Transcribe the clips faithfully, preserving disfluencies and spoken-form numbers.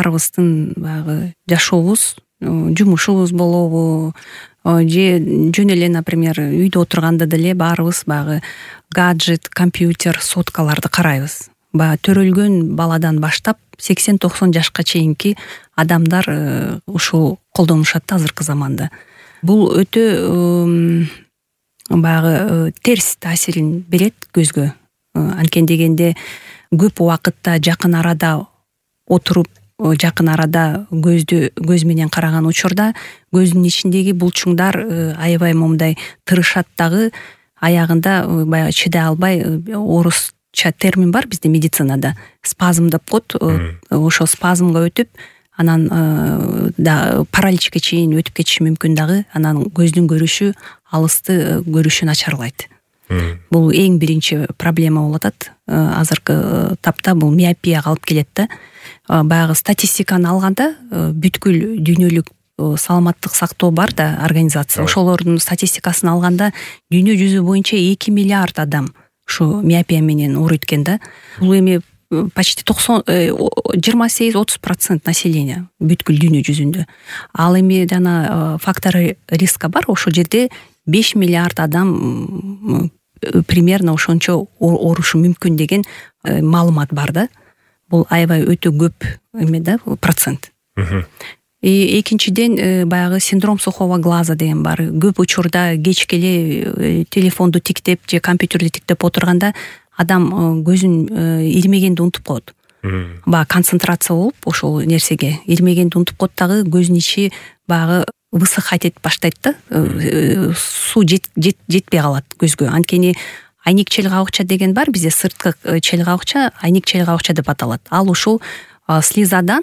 баарыбыздын баягы жашообуз, жумушубуз болобу же жөн эле, например, үйдө отурганда деле баарыбыз баягы гаджет, компьютер, соткаларды карайбыз. Баягы төрөлгөн баладан баштап сексен токсон жашка чейинки адамдар ушул колдонушат азыркы заманда. Бул өтө баягы терс таасирин берет көзгө. Анткени дегенде көп убакытта жакын арада отуруп, жакын арада көздү көз менен караган учурда көздүн ичиндеги булчуңдар аябай момундай тырышат дагы, аягында баягы чыдай албай, орусча термин бар бизде медицинада, спазм деп коет. Ошо спазмга өтүп, анан да параличке чейин өтүп кетиши мүмкүн дагы. Анан көздүн көрүшү, алысты көрүшү начарлайт. Бул эң биринчи проблема болуп атат. Азыркы тапта бул миопияга алып келет да. Баягы статистиканы алганда бүткүл дүйнөлүк саламаттык сактоо бар да организация. Ошолордун статистикасын алганда дүйнө жүзү боюнча эки миллиард адам ушу миопия менен ооруйт экен да. Бул эми почти токсон жыйырма сегиз отуз процент населения бүткүл дүйнө жүзүндө. Ал эми жана фактор риска бар. Ошол жерде беш миллиард адам примерно ошончо оорушу мүмкүн деген маалымат бар да. Бул аябай өтө көп эме да, процент. И экинчиден баягы синдром сухого глаза деген бар. Көп учурда кечке эле телефонду тиктеп же компьютерди тиктеп отурганда адам көзүн ирмегенди унутуп коет. Баягы концентрация болуп ошол нерсеге ирмегенди унутуп коет дагы, көзүнүн ичи баягы высыхать этип баштайт да. Суу жетпей калат көзгө. Анткени айник челгабыкча деген бар бизде, сырткы челгабыкча айник челгабыкча деп аталат. Ал ушул слизадан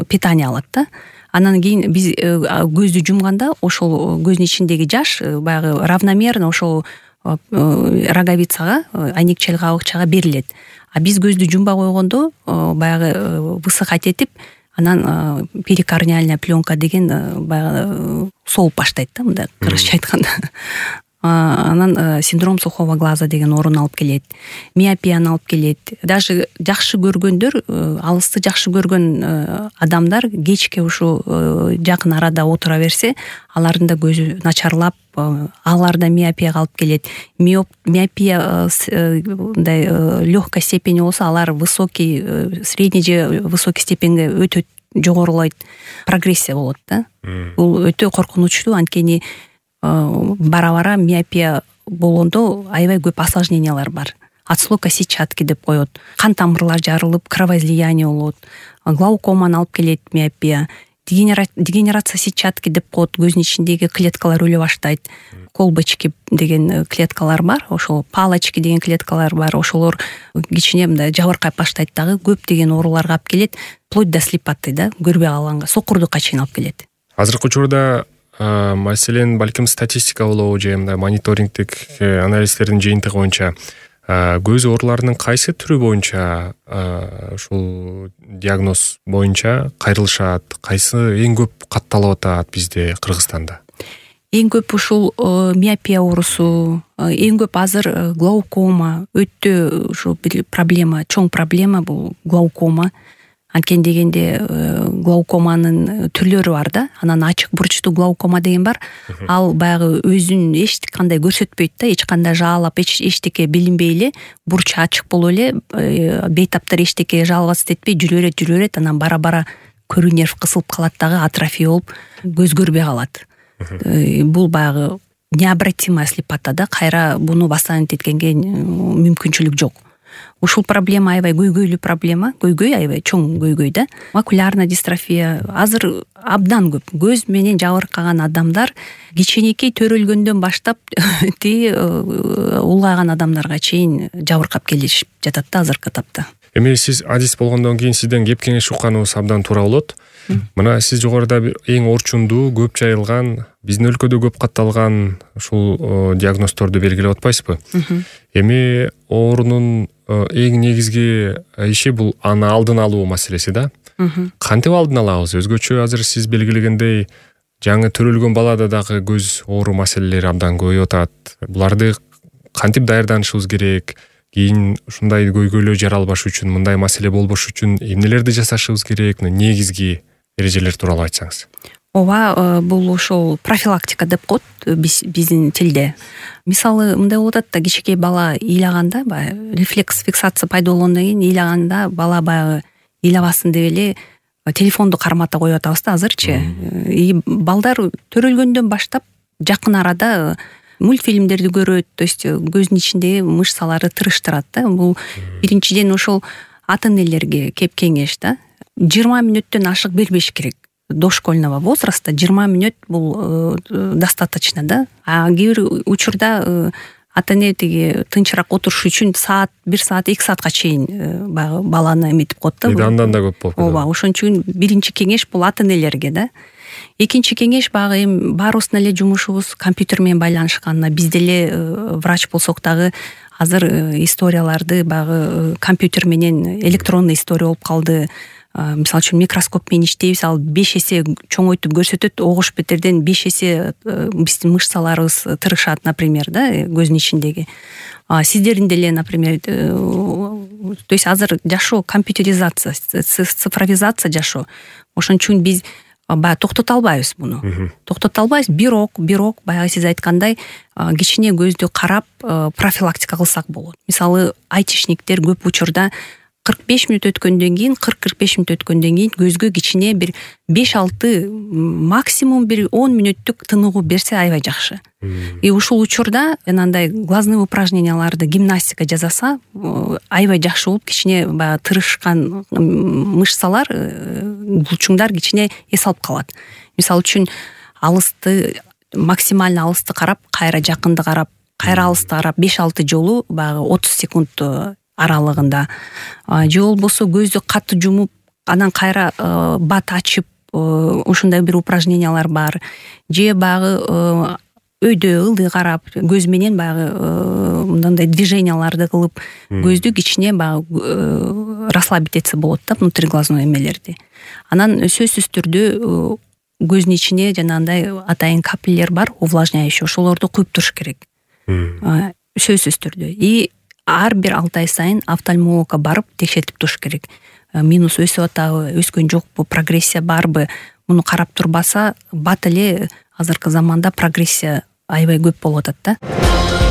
питание алат да. Анан кийин биз көздү жумганда ошол көздүн ичиндеги жаш баягы равномерно ошол роговицага, айник челгабыкчага берилет. А биз көздү жумбай койгондо баягы высыхать этип, анан перикорниальная пленка деген баягы соолуп баштайт да, мындай кыргызча айтканда. Анан синдром сухого глаза деген оорун алып келет. Миопияны алып келет. Даже жакшы көргөндөр, алысты жакшы көргөн адамдар кечке ушу жакын арада отура берсе, алардын да көзү начарлап, аларда миопияга алып келет. Миопия мындай легкой степени болсо, алар высокий, средний же высокий степенге өтө жогорулайт, прогрессия болот да. Бул өтө коркунучтуу, анткени бара-бара миопия болгондо аябай көп осложнениялар бар. Отслойка сетчатки деп коет. Кан тамырлар жарылып, кровоизлияние болот. Глаукоманы алып келет миопия. Дегенерация сетчатки деп коет. Көздүн ичиндеги клеткалар өлө баштайт. Колбочки деген клеткалар бар. Ошол палочки деген клеткалар бар. Ошолор кичине мындай жабыркай баштайт дагы. Көп деген ооруларга алып келет. Вплоть до слепоты да, көрбөй калганга, сокурдукка чейин алып келет. Азыркы учурда маселен балким статистика болобу же мындай мониторингдик анализдердин жыйынтыгы боюнча көз ооруларынын кайсы түрү боюнча ушул диагноз боюнча кайрылышат, кайсы эң көп катталып атат бизде, Кыргызстанда? Эң көп ушул миопия оорусу, эң көп азыр глаукома, өтө ушу бир проблема, чоң проблема бул глаукома. Анткени дегенде глаукоманын түрлөрү бар да. Анан ачык бурчтуу глаукома деген бар. Ал баягы өзүн эч кандай көрсөтпөйт да, эч кандай жаалап, эчтеке билинбей эле, бурчу ачык болуп эле, бейтаптар эчтеке жалгасыз этпей жүрө берет, жүрө берет, анан бара-бара көрүү нерв кысылып калат дагы, атрофия болуп, көз көрбөй калат. Бул баягы необратимая слепота да, кайра буну восстановить эткенге мүмкүнчүлүк жок. Ушул проблема аябай көйгөйлүү проблема, көйгөй аябай чоң көйгөй да. Макулярная дистрофия азыр абдан көп. Көз менен жабыркаган адамдар кичинекей төрөлгөндөн баштап тиги улгайган адамдарга чейин жабыркап келишип жатат да азыркы тапта. Эми сиз адис болгондон кийин сизден кеп кеңеш укканыбыз абдан туура болот. Мына сиз жогоруда эң орчундуу, көп жайылган, биздин өлкөдө көп катталган ушул диагноздорду белгилеп атпайсызбы? Эми оорунун эң негизги иши бул аны алдын алуу маселеси да. Кантип алдын алабыз? Өзгөчө азыр сиз белгилегендей жаңы төрөлгөн балада дагы көз оору маселелери абдан көбөйүп атат. Буларды кантип даярданышыбыз керек? кийин ушундай көйгөйлөр жаралбаш үчүн, мындай маселе болбош үчүн эмнелерди жасашыбыз керек, негизги эрежелер тууралуу айтсаңыз. ооба, бул ошол профилактика деп коет биздин тилде. Мисалы мындай болуп атат да, кичинекей бала ыйлаганда, баягы рефлекс фиксация пайда болгондон кийин ыйлаганда бала баягы ыйлабасын деп эле телефонду кармата коюп атабыз да азырчы. И балдар төрөлгөндөн баштап жакын арада мультфильмдерди көрөт, то есть көзүнүн ичиндеги мышцалары тырыштырат да. Бул биринчиден ошол ата энелерге кеп кеңеш да. жыйырма мүнөттөн ашык бербеш керек. Дошкольного возраста жыйырма мүнөт бул достаточно да. А кээ бир учурда ата эне тиги тынчыраак отуруш үчүн саат, бир саат, эки саатка чейин баягы баланы эметип коет да. Андан да көп болуп. Ооба, ошон үчүн биринчи кеңеш бул ата энелерге да. Экинчи кеңеш баягы эми баарыбыздын эле жумушубуз компьютер менен байланышкан. Биз деле врач болсок дагы азыр историяларды баягы компьютер менен электронный история болуп калды. Мисалы үчүн микроскоп менен иштейбиз, ал беш эсе чоңойтуп көрсөтөт, огуш бетерден беш эсе биздин мышцаларыбыз тырышат, например, да, көздүн ичиндеги. Сиздердин деле, например, то есть азыр жашоо компьютеризация, цифровизация жашоо. Ошон үчүн биз баягы токтото албайбыз муну. Токтото албайбыз, бирок, бирок баягы сиз айткандай кичине көздү карап профилактика кылсак болот. Мисалы, айтишниктер көп учурда кырк беш мүнөт өткөндөн кийин, кырк кырк беш мүнөт өткөндөн кийин көзгө кичине бир беш алты, максимум бир он мүнөттүк тыныгуу берсе аябай жакшы. И ушул учурда анандай глазные упражненияларды, гимнастика жасаса аябай жакшы болуп, кичине баягы тырышкан мышцалар, булчуңдар кичине эс алып калат. Мисалы үчүн алысты, максимально алысты карап, кайра жакынды карап, кайра алысты карап беш алты жолу баягы отуз секунд аралыгында, же болбосо көздү катты жумуп, анан кайра бат ачып, ушундай бир упражнениялар бар. Же баягы өйдө ылдый карап, көз менен баягы мындай движенияларды кылып, көздү кичине баягы расслабить этсе болот да, внутриглазной эмелерди. Анан сөзсүз түрдө көздүн ичине жанагындай атайын капиллер бар, увлажняющий, ошолорду куюп туруш керек. Сөзсүз түрдө. И ар бир алты ай сайын офтальмологко барып текшертип туруш керек. Минус өсүп атабы, өскөн жокпу, прогрессия барбы? Муну карап турбаса, бат эле азыркы заманда прогрессия аябай көп болуп атат да.